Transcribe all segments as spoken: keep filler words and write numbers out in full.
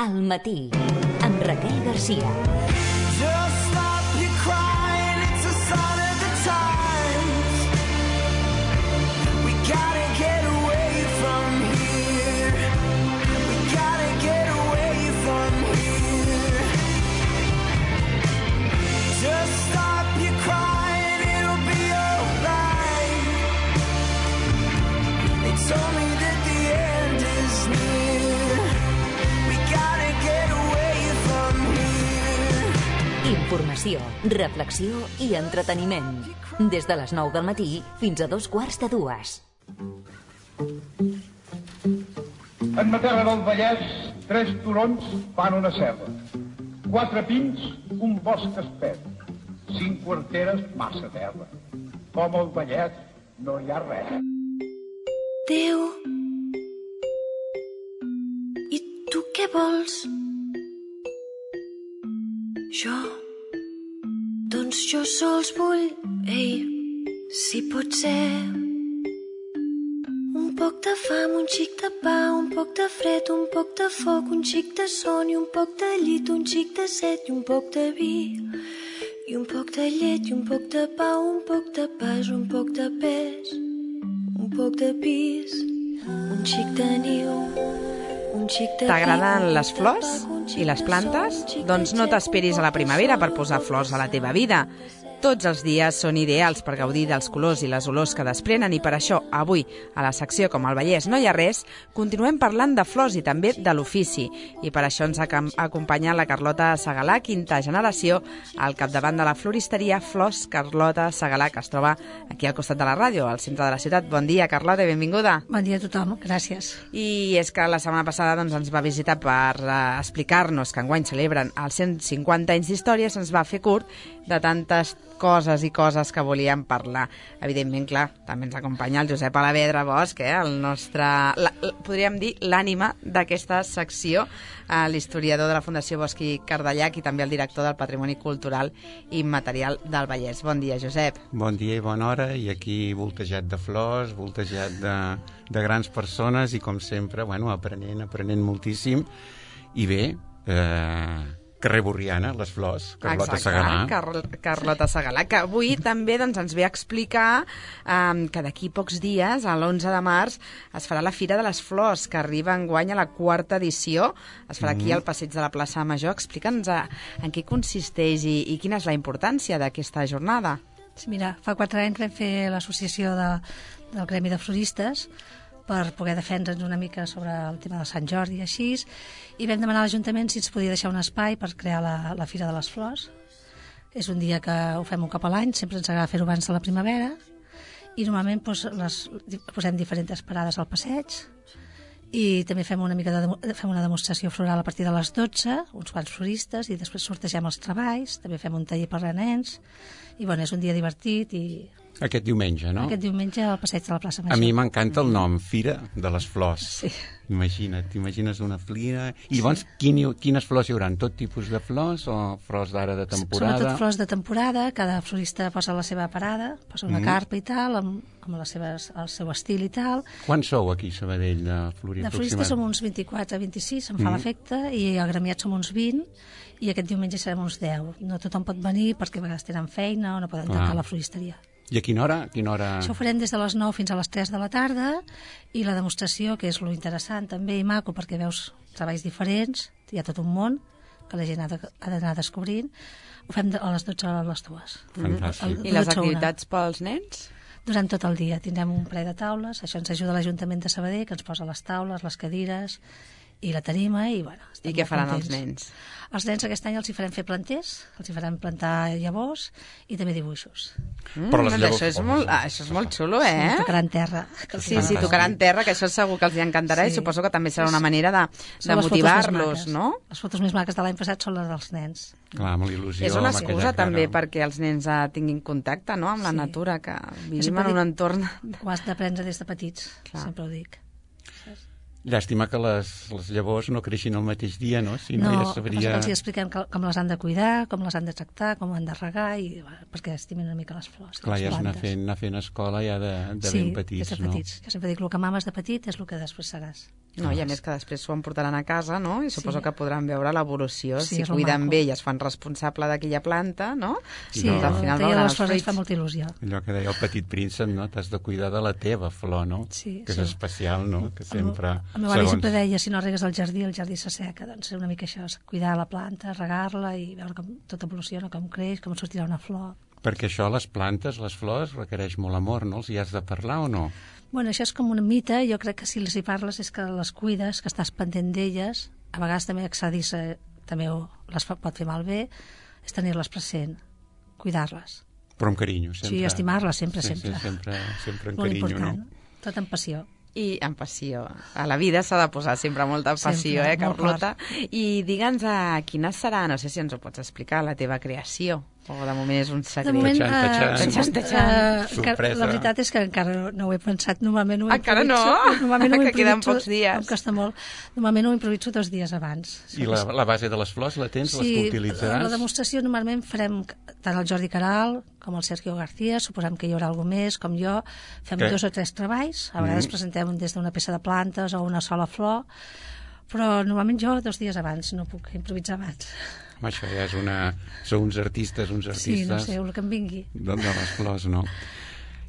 Al matí, amb Raquel Garcia. Just stop your crying, it's a sign of the times. We gotta get away from here. We gotta get away from here. Just stop your crying, it'll be alright. They told me that the end is near. We gotta get away from here. Informació, reflexió i entreteniment. Des de les nou del matí fins a dos quarts de dues. En ma terra del Vallès, tres turons fan una serra. Quatre pins, un bosc espès. Cinc quarteres, massa terra. Com al Vallès no hi ha res. Déu, i tu què vols? Jo, doncs jo sols vull, ei, si pot ser. Un poc de fam, un xic de pa, un poc de fred, un poc de foc, un xic de son i un poc de llit, un xic de set i un poc de vi. I un poc de llet i un poc de pa, un poc de pas, un poc de pes, un poc de pis, un xic de niu, un xic de... T'agraden les flors i les plantes? Doncs no t'esperis a la primavera per posar flors a la teva vida. Tots els dies són ideals per gaudir dels colors i les olors que desprenen i per això avui, a la secció Com al Vallès no hi ha res, continuem parlant de flors i també de l'ofici. I per això ens acompanya la Carlota Segalà, quinta generació, al capdavant de la floristeria Flors Carlota Segalà, que es troba aquí al costat de la ràdio, al centre de la ciutat. Bon dia, Carlota, i benvinguda. Bon dia a tothom, gràcies. I és que la setmana passada doncs, ens va visitar per uh, explicar-nos que enguany celebren els cent cinquanta anys d'història, se'ns va fer curt de tantes coses i coses que volíem parlar. Evidentment, clar, també ens acompanya el Josep Alavedra Bosch, eh? el nostre, la, la, podríem dir, l'ànima d'aquesta secció, eh, l'historiador de la Fundació Bosch i Cardellac i també el director del Patrimoni Cultural i Immaterial del Vallès. Bon dia, Josep. Bon dia i bona hora, i aquí voltejat de flors, voltejat de, de grans persones i, com sempre, bueno, aprenent, aprenent moltíssim. I bé, eh... carrer Borriana, les flors, Carlota Segalà. Car Carlota Segalà, que avui també doncs, ens ve a explicar um, que d'aquí pocs dies, a l'onze de març, es farà la Fira de les Flors, que arriba enguany a la quarta edició. Es farà aquí al passeig de la plaça Major. Explica'ns en què consisteix i, i quina és la importància d'aquesta jornada. Sí, mira, fa quatre anys vam fer l'associació de, del Gremi de Floristes per poder defendre'ns una mica sobre el tema de Sant Jordi i així, i vam demanar a l'Ajuntament si ens podia deixar un espai per crear la, la Fira de les Flors. És un dia que ho fem un cop a l'any, sempre ens agrada fer-ho abans de la primavera, i normalment doncs, les, posem diferents parades al passeig, i també fem una mica de, fem una demostració floral a partir de les dotze, uns quants floristes, i després sortegem els treballs, també fem un taller per a nens, i bueno, és un dia divertit i... Aquest diumenge, no? Aquest diumenge al passeig de la plaça Major. A mi m'encanta el nom, Fira de les Flors. Sí. Imagina't, t'imagines una fira... I llavors, quin, quines flors hi haurà? Tot tipus de flors o flors d'ara de temporada? Sobretot flors de temporada, cada florista posa la seva parada, posa una mm. carpa i tal, amb, amb les seves, el seu estil i tal. Quants sou aquí a Sabadell de florir? De floristes som uns vint-i-quatre a vint-i-sis, em fa mm. l'efecte, i agremiats som uns vint, i aquest diumenge serem uns deu. No tothom pot venir perquè a vegades tenen feina o no poden tancar la floristeria. I a quina hora? A quina hora? Això ho farem des de les nou fins a les tres de la tarda, i la demostració, que és lo interessant també i maco, perquè veus treballs diferents, hi ha tot un món que la gent ha d'anar descobrint, ho fem a les dotze a les dues. Fantàstic. I les activitats pels nens? Durant tot el dia tindrem un ple de taules, això ens ajuda l'Ajuntament de Sabadell, que ens posa les taules, les cadires i la tarima, i bueno, estem I què faran contents. els nens? Els nens aquest any els hi farem fer planters, els hi farem plantar llavors i també dibuixos. Mm, Però les llavors... Això és, molt, ah, això és molt xulo, eh? Sí, tocaran terra. Sí, sí, tocaran terra, que això segur que els hi encantarà, sí. I suposo que també serà una manera de, de motivar-los, no? Les fotos més maques de l'any passat són les dels nens. Clar, amb il·lusió. És una excusa també perquè els nens tinguin contacte, no?, amb la sí. natura, que vivim en un entorn... Ho has d'aprendre des de petits, Clar. Sempre ho dic. Llàstima que les, les llavors no creixin el mateix dia, no? Si no, No, ja sabria... els hi expliquem que, com les han de cuidar, com les han de tractar, com han de regar, i, bueno, perquè estimin una mica les flors. Clar, les ja és anar plantes. fent, anar fent escola ja de, de sí, ben petits, des de no? petits. Jo sempre dic, el que mames de petit és el que després seràs. No, i a més que després s'ho emportaran a casa, no? I suposo Sí. que podran veure l'evolució. Sí, si és molt cuiden maco. bé i es fan responsable d'aquella planta, no? Sí, No. no, al final el veuran de les els flors ens fruits. fa molta il·lusió. Allò que deia el petit príncep, no? T'has de cuidar de la teva flor, no? Sí, que és sí. especial, no? Que sempre... El meu avi sempre deia, si no regues el jardí, el jardí s'asseca. Doncs una mica això, és cuidar la planta, regar-la i veure com tot evoluciona, com creix, com sortirà una flor. Perquè això, les plantes, les flors, requereix molt amor, no? Els hi has de parlar o no? Bueno, això és com una mita, jo crec que si les hi parles és que les cuides, que estàs pendent d'elles, a vegades també excedir-se també ho- les fa- pot fer malbé, és tenir-les present, cuidar-les. Però amb carinyo, sempre. Sí, estimar-les sempre, sí, sempre. Sí, sempre, sempre amb Molt carinyo, important, no? tot amb passió. I amb passió. A la vida s'ha de posar sempre molta passió, Sempre, eh, molt Carlota? I digue'ns a quina serà, no sé si ens ho pots explicar, la teva creació, o de moment és un secret. De moment, Tatxan, tatxan. eh, Tatxan, tatxan. eh, que Sorpresa. la veritat és que encara no ho he pensat. Normalment ho Encara no? improviso- Normalment ho Que queden improviso- pocs dies. Em costa molt. Normalment ho improviso dos dies abans. I la, la base de les flors la tens? Sí, les que utilitzaràs? la demostració normalment farem tant el Jordi Caral com el Sergio García, suposem que hi haurà algú més, com jo, fem Què? dos o tres treballs, a vegades Mm. presentem des d'una peça de plantes o una sola flor, però normalment jo dos dies abans, no puc improvisar abans. Home, això ja és una... Sou uns artistes, uns artistes... Sí, no sé, el que em vingui. De, de les flors, no?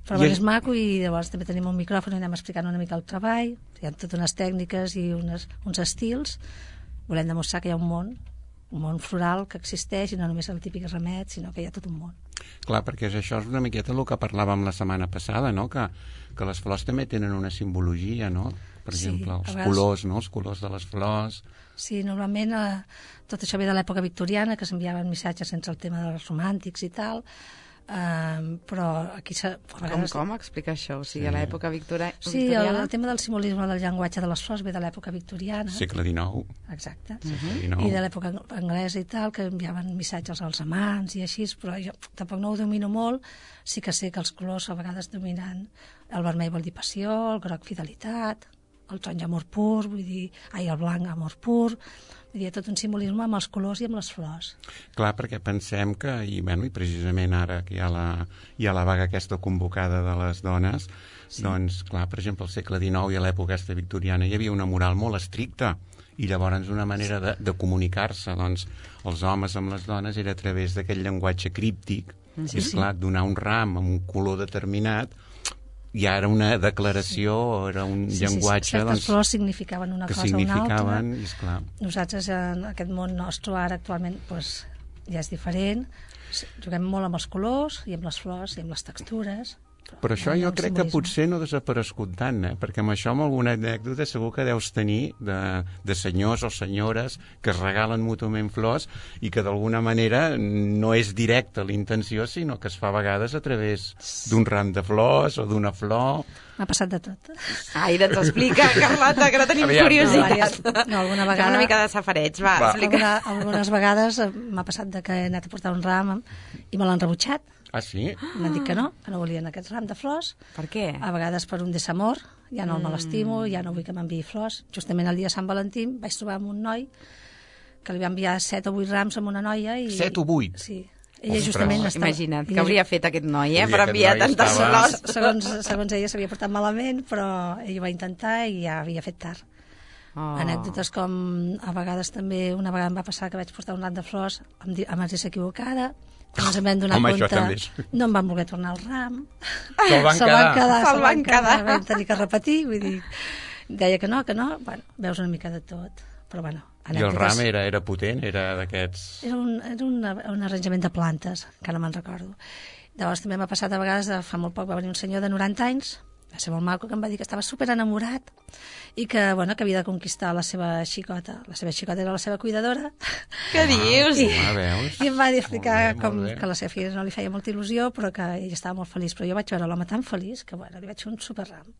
Però I bueno, és- és maco i llavors també tenim un micròfon i anem explicant una mica el treball, hi ha totes unes tècniques i unes, uns estils, volem demostrar que hi ha un món, un món floral que existeix i no només el típic remet, sinó que hi ha tot un món. Clar, perquè és això és una miqueta el que parlàvem la setmana passada, no? Que, que les flors també tenen una simbologia, no? Per Sí, exemple, a els vegades- colors, no? Els colors de les flors... Sí, normalment eh, tot això ve de l'època victoriana, que s'enviaven missatges sense el tema dels romàntics i tal, eh, però aquí s'ha... a Com, vegades- com? Explica això. O sigui, Sí. a l'època victoria... Sí, el, victoriana... el tema del simbolisme del llenguatge de les flors ve de l'època victoriana. Segle dinou. Exacte. Segle dinou. I de l'època anglesa i tal, que enviaven missatges als amants i així, però jo tampoc no ho domino molt, sí que sé que els colors a vegades dominen, el vermell vol dir passió, el groc fidelitat, el taronja amor pur, vull dir, ai, el blanc amor pur, vull dir, hi ha tot un simbolisme amb els colors i amb les flors. Clar, perquè pensem que, i, bueno, i precisament ara que hi ha la, hi ha la vaga aquesta convocada de les dones, sí. Doncs, clar, per exemple, al segle dinou i a l'època aquesta victoriana hi havia una moral molt estricta, i llavors una manera de, de comunicar-se, doncs, els homes amb les dones era a través d'aquest llenguatge críptic, sí, i, esclar, donar un ram amb un color determinat, ja era una declaració, sí. Era un Sí, llenguatge... sí, certes doncs, flors significaven una que cosa o una altra. significaven, i esclar, Nosaltres, en aquest món nostre, ara actualment, doncs, ja és diferent. Juguem molt amb els colors i amb les flors i amb les textures. però això hi ha jo un crec que simbolisme. potser no ha desaparegut tant, eh? Perquè amb això, amb alguna anècdota, segur que deus tenir de, de senyors o senyores que es regalen mútuament flors i que d'alguna manera no és directa l'intenció, sinó que es fa a vegades a través d'un ram de flors o d'una flor. M'ha passat de tot. Ai, doncs explica, Carlota, que no tenim Aviam. curiositat. No, alguna Fem vegada... una mica de safareig, va, Va. explica. Alguna, algunes vegades eh, m'ha passat de que he anat a portar un ram i me l'han rebutjat. Ah, sí? M'han dit que no, que no volien aquest ram de flors. Per què? A vegades per un desamor, ja no el me l'estimo, ja no vull que m'enviï flors. Justament el dia de Sant Valentí vaig trobar amb un noi que li va enviar set o vuit rams amb una noia. I... Set o vuit? Sí. Ella Ostres. justament estava... Imagina't, ella què hauria fet aquest noi, eh, Hauria per aquest enviar noi tantes estava- flors. Segons, segons ella s'havia portat malament, però ell ho va intentar i ja havia fet tard. Oh. Anècdotes com a vegades també, una vegada em va passar que vaig portar un ram de flors amb, di- amb adreça equivocada, que ens en vam donar Home, això compte, també és- no em van voler tornar el ram, Se'l van se'l quedar. van quedar, Se'l se'l van van quedar, quedar. vam tenir que repetir, vull dir, deia que no, que no, bueno, veus una mica de tot, però bueno, I el ram era, era potent? Era d'aquests... Era, un, era una, un arranjament de plantes, que no me'n recordo. Llavors també m'ha passat a vegades, de, fa molt poc va venir un senyor de noranta anys, va ser molt maco, que em va dir que estava super enamorat i que, bueno, que havia de conquistar la seva xicota. La seva xicota era la seva cuidadora. Què dius? I, Ah, veus? i em va dir explicar Molt bé, molt com bé. que la seva filla no li feia molta il·lusió, però que ell estava molt feliç. Però jo vaig veure l'home tan feliç que, bueno, li vaig fer un superram.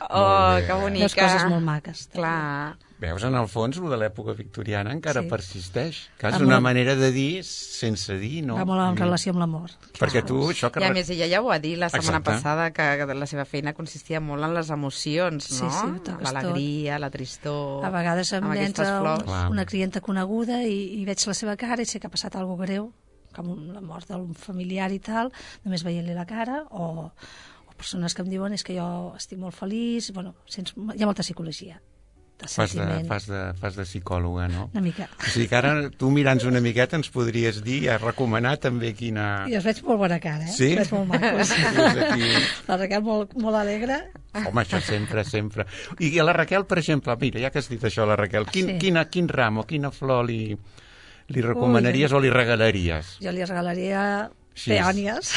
Oh, Molt bé. que bonica. Veus coses molt maques. també. Clar. Veus, en el fons, el de l'època victoriana encara Sí. persisteix. Que és Va una molt- manera de dir sense dir, no? Va molt en Mm. relació amb l'amor. Perquè tu, això que... I a re- més, ella ja ho va dir la setmana Exacte. passada, que la seva feina consistia molt en les emocions, Sí, no? sí, toques L'alegria, la tristor... A vegades em amb aquestes entra flors. Clar. una clienta coneguda i, i veig la seva cara i sé que ha passat alguna greu, com la mort d'un familiar i tal, només veient-li la cara, o, o persones que em diuen és que jo estic molt feliç, bueno, sents, hi ha molta psicologia. De Fas de, sentiment. fas, de, fas de psicòloga, no? Una mica. O sigui que ara tu mirant una miqueta ens podries dir, a recomanar també quina... I els veig molt bona cara, eh? Sí? Els veig molt macos. Dius aquí... La Raquel molt, molt alegre. Home, això sempre, sempre. I a la Raquel, per exemple, mira, ja que has dit això, la Raquel, quin, Sí. quina, quin ram o quina flor li, li recomanaries Ui. o li regalaries? Jo li regalaria Així és. peònies.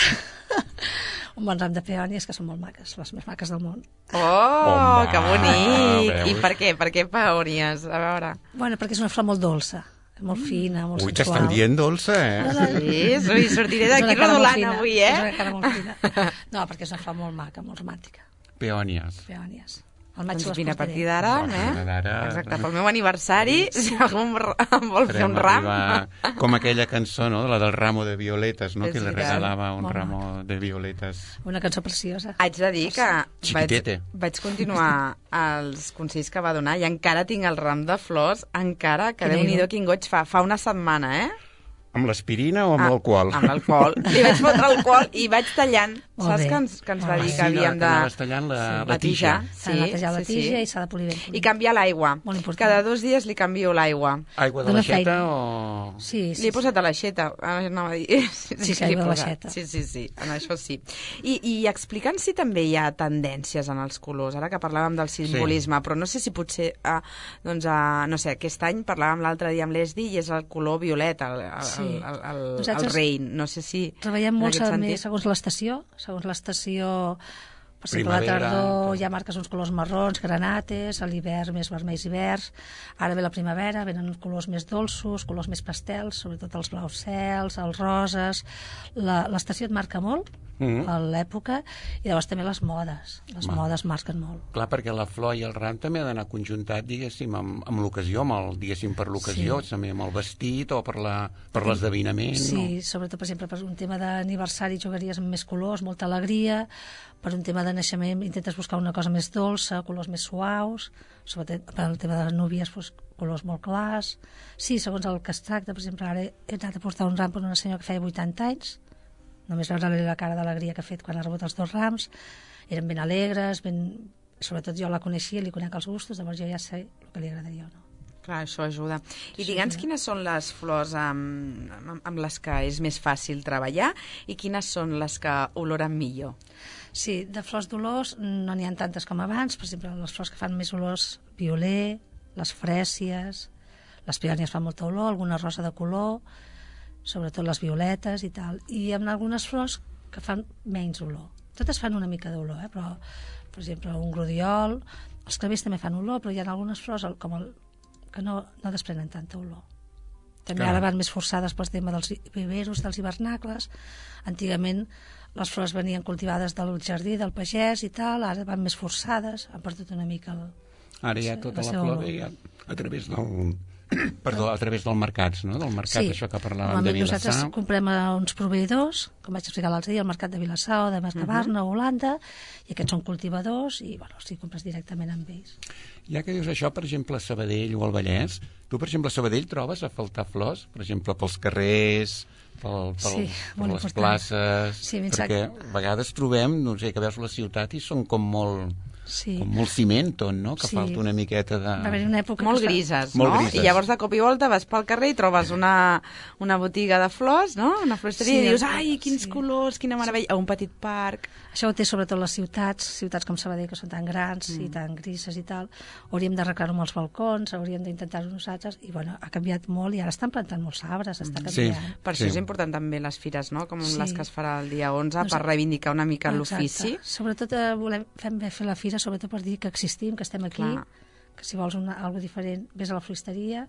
Un bon ram de peònies que són molt maques, les més maques del món. Oh, Home, que bonic! veus? I per què? Per què peònies? A veure... Bueno, perquè és una flor molt dolça, molt fina, molt Ui, sensual. t'estan dient dolça, eh? Sí, sí, sortiré És d'aquí una cara molt rodolant fina, avui, És eh? una cara molt fina. No, perquè és una flor molt maca, molt romàntica. Peònies. Peònies. Al maig Doncs les vine, a portaré. partir d'ara, A partir d'ara- eh? Exacte, pel meu aniversari, si algú em r- em vol fer Farem un ram... arribar com aquella cançó, no?, la del ramo de violetes, no?, És que li veritat. regalava un Molt ramo de violetes. Una cançó preciosa. Haig de dir que vaig, Chiquitete. vaig continuar els consells que va donar i encara tinc el ram de flors, encara que Quina Déu-n'hi-do il·lu. quin goig fa. Fa una setmana, eh? Amb l'aspirina o amb Ah, l'alcohol? Amb l'alcohol. Li vaig fotre alcohol i vaig tallant. Molt Saps bé. que ens, que ens va Molt dir bé. que havíem de... anaves tallant la, la tija. S'ha de netejar la tija i s'ha de polir ben. I canviar l'aigua. Molt important. Cada dos dies li canvio l'aigua. Aigua de Dóna l'aixeta feina. o... Sí, sí, Li he posat a l'aixeta. Ah, no, sí, Sí, que li he aigua de posat. l'aixeta. Sí, sí, sí, en això sí. I, i explica'ns si també hi ha tendències en els colors, ara que parlàvem del simbolisme, sí. Però no sé si potser, ah, doncs, ah, no sé, aquest any parlàvem l'altre dia amb l'Esdi i és el color violeta, el, el, Sí. el, el, el, Nosaltres el rein. No sé si... Treballem en molt aquest també sentit- segons l'estació, segons l'estació, per exemple, a la Primavera, tardor tot. ja marques uns colors marrons, granates, a l'hivern més vermells i verds, ara ve la primavera, venen colors més dolços, colors més pastels, sobretot els blaus cels, els roses, La- l'estació et marca molt, Mhm. a l'època, i llavors també les modes, les Va. modes marquen molt. Clar, perquè la flor i el ram també ha d'anar conjuntat, diguéssim, amb, amb l'ocasió, amb el, diguéssim, per l'ocasió, Sí. també amb el vestit o per la- per l'esdeveniment. Sí, sobretot, per exemple, per un tema d'aniversari jugaries amb més colors, molta alegria, per un tema de naixement intentes buscar una cosa més dolça, colors més suaus, sobretot per al tema de les núvies, doncs, colors molt clars. Sí, segons el que es tracta, per exemple, ara he anat a portar un ram per una senyora que feia vuitanta anys, només veure-li la cara d'alegria que ha fet quan ha rebut els dos rams, eren ben alegres, ben... sobretot jo la coneixia, li conec els gustos, llavors jo ja sé el que li agradaria o no. Clar, això ajuda. I digue'ns quines són les flors amb, amb, amb les que és més fàcil treballar i quines són les que oloren millor. Sí, de flors d'olors no n'hi ha tantes com abans, per exemple, les flors que fan més olors, violer, les frècies, les peònies fan molta olor, alguna rosa de color, sobretot les violetes i tal, i amb algunes flors que fan menys olor. Totes fan una mica d'olor, eh? Però, per exemple, un glodiol, els clavers també fan olor, però hi ha algunes flors el- com el, que no, no desprenen tanta olor. També Clar. ara van més forçades pel tema dels viveros, dels hivernacles. Antigament les flors venien cultivades del jardí, del pagès i tal, ara van més forçades, han perdut una mica el... Ara ja Sí, tota la la seva flor olor. ve ja a través del... Perdó, a través dels mercats, no? Del mercat, això que parlàvem de Normalment nosaltres Vilassar. comprem a uns proveïdors, com vaig explicar l'altre dia, al mercat de Vilassar o de Mercabarna o Holanda, i aquests són cultivadors i, bueno, si compres directament amb ells. Ja que dius això, per exemple, a Sabadell o al Vallès, tu, per exemple, a Sabadell trobes a faltar flors? Per exemple, pels carrers, pel, pel, Sí, per molt les important. places... Sí, ben perquè sac- a vegades trobem, no sé, que veus la ciutat i són com molt, Sí. com molt ciment, no? Que Sí. falta una miqueta de... Va haver una època Molt que es va- grises, Molt no? grises. I llavors de cop i volta vas pel carrer i trobes una, una botiga de flors, no? Una floristeria, Sí, i dius, ai, quins sí. colors, quina meravella, a un petit parc. Això ho té sobretot les ciutats, ciutats com Sabadell, que són tan grans mm. i tan grises i tal. Hauríem d'arreglar-ho amb els balcons, hauríem d'intentar-ho nosaltres, i bueno, ha canviat molt, i ara estan plantant molts arbres, està Sí. canviant. Per Sí. això és important també les fires, no? Com Sí. les que es farà el dia onze, Doncs- per reivindicar una mica Exacte. l'ofici. Sobretot eh, volem fem bé fer la fira, sobretot per dir que existim, que estem aquí, Clar. que si vols una, alguna diferent, vés a la floristeria,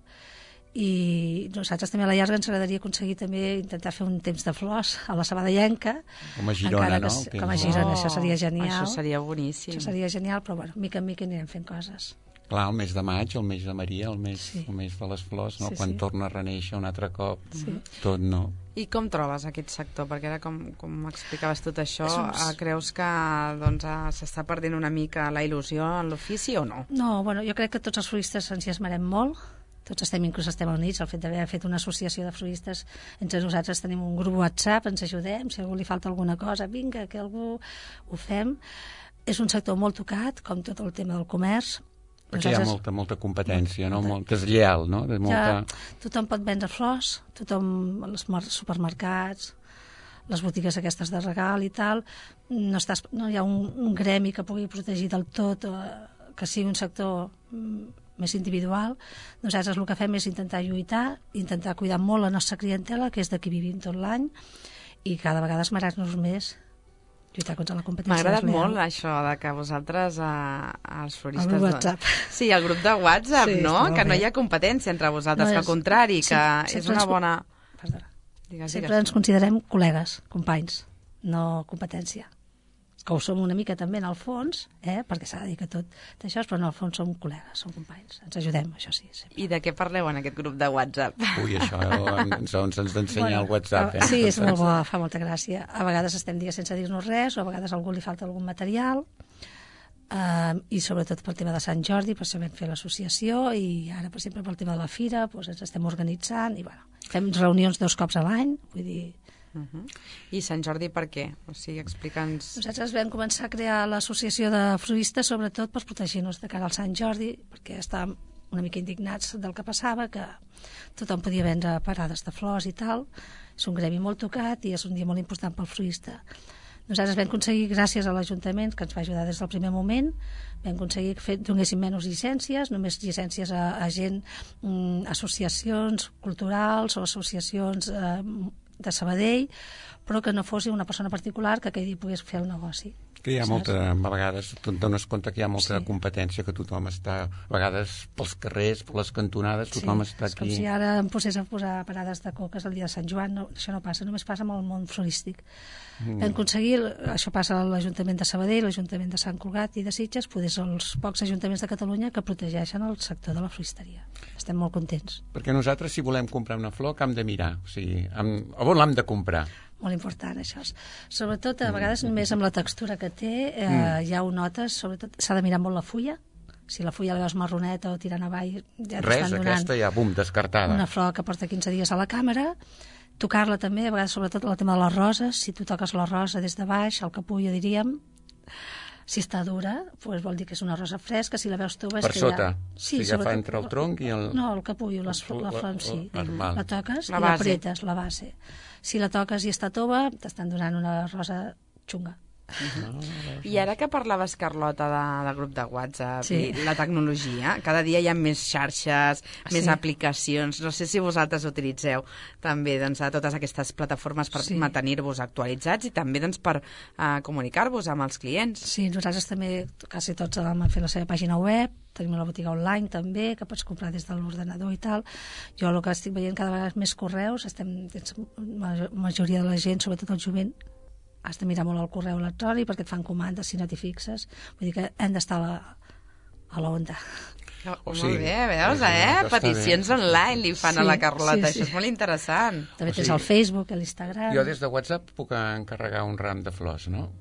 i nosaltres també a la llarga ens agradaria aconseguir també intentar fer un temps de flors a la Sabadellenca. Com a Girona, encara que no? s- El Com a temps. Girona, Oh, això seria genial. Això seria boníssim. Això seria genial, però bueno, mica en mica anirem fent coses. clar, el mes de maig, el mes de Maria, el mes, Sí. el mes de les flors, no? Sí, Quan sí. torna a reneixer un altre cop, Sí. tot, no? I com trobes aquest sector? Perquè ara, com, com explicaves tot això, És un- eh, creus que doncs, eh, s'està perdent una mica la il·lusió en l'ofici o no? No, bueno, jo crec que tots els floristes ens hi esmerem molt, tots estem, inclús estem units, el fet d'haver fet una associació de floristes, entre nosaltres tenim un grup WhatsApp, ens ajudem, si a algú li falta alguna cosa, vinga, que algú ho fem. És un sector molt tocat, com tot el tema del comerç. Perquè hi ha molta, molta competència, no? Molt deslleial, no? De molta... Ja, tothom pot vendre flors, tothom, els mar- supermercats, les botigues aquestes de regal i tal, no, estàs, no hi ha un, un gremi que pugui protegir del tot, eh, que sigui un sector mm, més individual. Nosaltres el que fem és intentar lluitar, intentar cuidar molt la nostra clientela, que és de qui vivim tot l'any, i cada vegada esmerar-nos més, lluitar contra la competència M'ha agradat deslleial. molt això de que vosaltres, eh, els floristes... El grup doncs- WhatsApp. Sí, el grup de WhatsApp, Sí, no? està molt Que no bé. hi ha competència entre vosaltres, No que és- al contrari, sí, que sempre és una ens- bona... Perdona. Digues, Sempre digues. ens considerem col·legues, companys, no competència. Que ho som una mica també en el fons, eh? Perquè s'ha de dir que tot d'això, però en el fons som col·legues, som companys. Ens ajudem, això sí. Sempre. I de què parleu en aquest grup de WhatsApp? Ui, això ens, ens ens d'ensenyar el WhatsApp, eh? Sí, és molt bo, fa molta gràcia. A vegades estem dient sense dir-nos res, o a vegades a algú li falta algun material, eh, i sobretot pel tema de Sant Jordi, per això vam fer l'associació, i ara, per exemple, pel tema de la fira, doncs ens estem organitzant, i bueno, fem reunions dos cops a l'any, vull dir... Uh -huh. I Sant Jordi per què? O sigui, explica'ns... Nosaltres vam començar a crear l'associació de floristes sobretot per protegir-nos de cara al Sant Jordi, perquè estàvem una mica indignats del que passava, que tothom podia vendre parades de flors i tal. És un gremi molt tocat i és un dia molt important pel florista. Nosaltres vam aconseguir, gràcies a l'Ajuntament, que ens va ajudar des del primer moment, vam aconseguir que donéssim menys llicències, només llicències a, a gent, mm, associacions culturals o associacions eh, de Sabadell, però que no fos una persona particular que aquell dia pogués fer el negoci. Que hi ha molta, a vegades, tu et dones compte que hi ha molta Sí. competència, que tothom està, a vegades, pels carrers, per les cantonades, tothom sí, està és com aquí. si ara em posés a posar parades de coques el dia de Sant Joan. No, això no passa, només passa amb el món florístic. Mm. Vam aconseguir, això passa a l'Ajuntament de Sabadell, l'Ajuntament de Sant Cugat i de Sitges, poder ser els pocs ajuntaments de Catalunya que protegeixen el sector de la floristeria. Estem molt contents. Perquè nosaltres, si volem comprar una flor, que hem de mirar? O sigui, hem, a on l'hem de comprar? Molt important, això. Sobretot, a vegades, només amb la textura que té, eh, mm. ja ho notes, sobretot, s'ha de mirar molt la fulla. Si la fulla la veus marroneta o tirant avall, ja Res, t'estan donant aquesta ja, bum, descartada. una flor que porta quinze dies a la càmera. Tocar-la també, a vegades, sobretot el tema de les roses. Si tu toques la rosa des de baix, el capullo, diríem, si està dura, doncs vol dir que és una rosa fresca. Si la veus tova... és Per que sota? Ja... Sí, si agafa entre el tronc i el... No, el capullo, les, la flor en si. La, la, La toques La i base. l'apretes, la base. Si la toques i està tova, t'estan donant una rosa xunga. I ara que parlaves, Carlota, de, del grup de WhatsApp Sí. i la tecnologia, cada dia hi ha més xarxes, més Sí. aplicacions. No sé si vosaltres utilitzeu també doncs, a totes aquestes plataformes per Sí. mantenir-vos actualitzats i també doncs, per uh, comunicar-vos amb els clients. Sí, nosaltres també, quasi tots vam fer la seva pàgina web, tenim la botiga online també, que pots comprar des de l'ordenador i tal. Jo el que estic veient cada vegada més correus, estem, la majoria de la gent, sobretot el jovent, has de mirar molt el correu electrònic perquè et fan comandes si no t'hi fixes. Vull dir que hem d'estar a la, a la onda. Oh, O molt sigui, bé, veus, sí, eh? això està Peticions bé. online li fan Sí, a la Carlota, sí, sí. això és molt interessant. També O tens sigui, el Facebook, l'Instagram... Jo des de WhatsApp puc encarregar un ram de flors, no?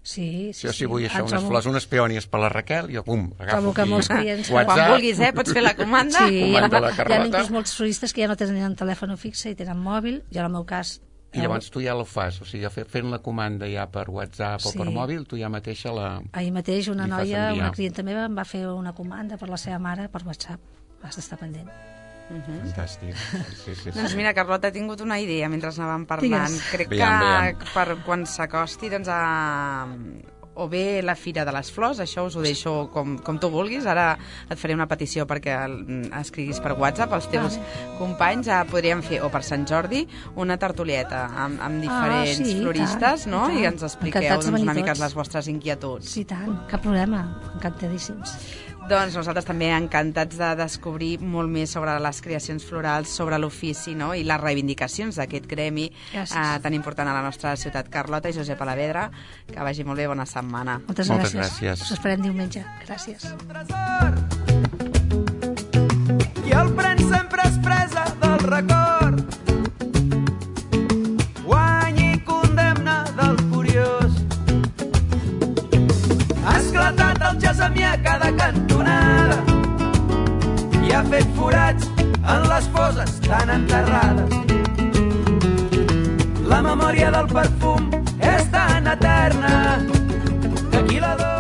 Sí, sí, Jo si vull sí. això, Ah, unes trobo- flors, unes peònies per la Raquel, jo, bum, agafo Trobo que aquí. molts clients- WhatsApp. Quan vulguis, eh? Pots fer la comanda. Sí, hi ha, Comanda la hi ha Carlota. inclús molts turistes que ja no tenen telèfon fixe i tenen mòbil. Jo, en el meu cas... I llavors tu ja ho fas, o sigui, fe- fent la comanda ja per WhatsApp o Sí. per mòbil, tu ja mateixa la... Ahir mateix una Li fas noia, enviar. una clienta meva, em va fer una comanda per la seva mare per WhatsApp. Has d'estar pendent. Fantàstic. Sí, sí, sí. Doncs mira, Carlota, he tingut una idea mentre anàvem parlant. Digues. Crec Veiem, que veiem. per quan s'acosti doncs, a... o bé la Fira de les Flors, això us ho deixo com, com tu vulguis. Ara et faré una petició perquè el- escriguis per WhatsApp els teus Vale. companys. Eh, podríem fer, o per Sant Jordi, una tertulieta amb, amb diferents Ah, sí, i floristes, tant, no? i tant. I ens expliqueu Encantats de doncs, una venir mica tots. les vostres inquietuds. Sí, tant, cap problema. Encantadíssims. Doncs nosaltres també encantats de descobrir molt més sobre les creacions florals, sobre l'ofici, no? I les reivindicacions d'aquest gremi eh, tan important a la nostra ciutat. Carlota i Josep Alavedra, que vagi molt bé, bona setmana. Moltes, Moltes gràcies. gràcies. Us esperem diumenge. Gràcies. tresor ha fet forats en les foses tan enterrades. La memòria del perfum és tan eterna que qui la dona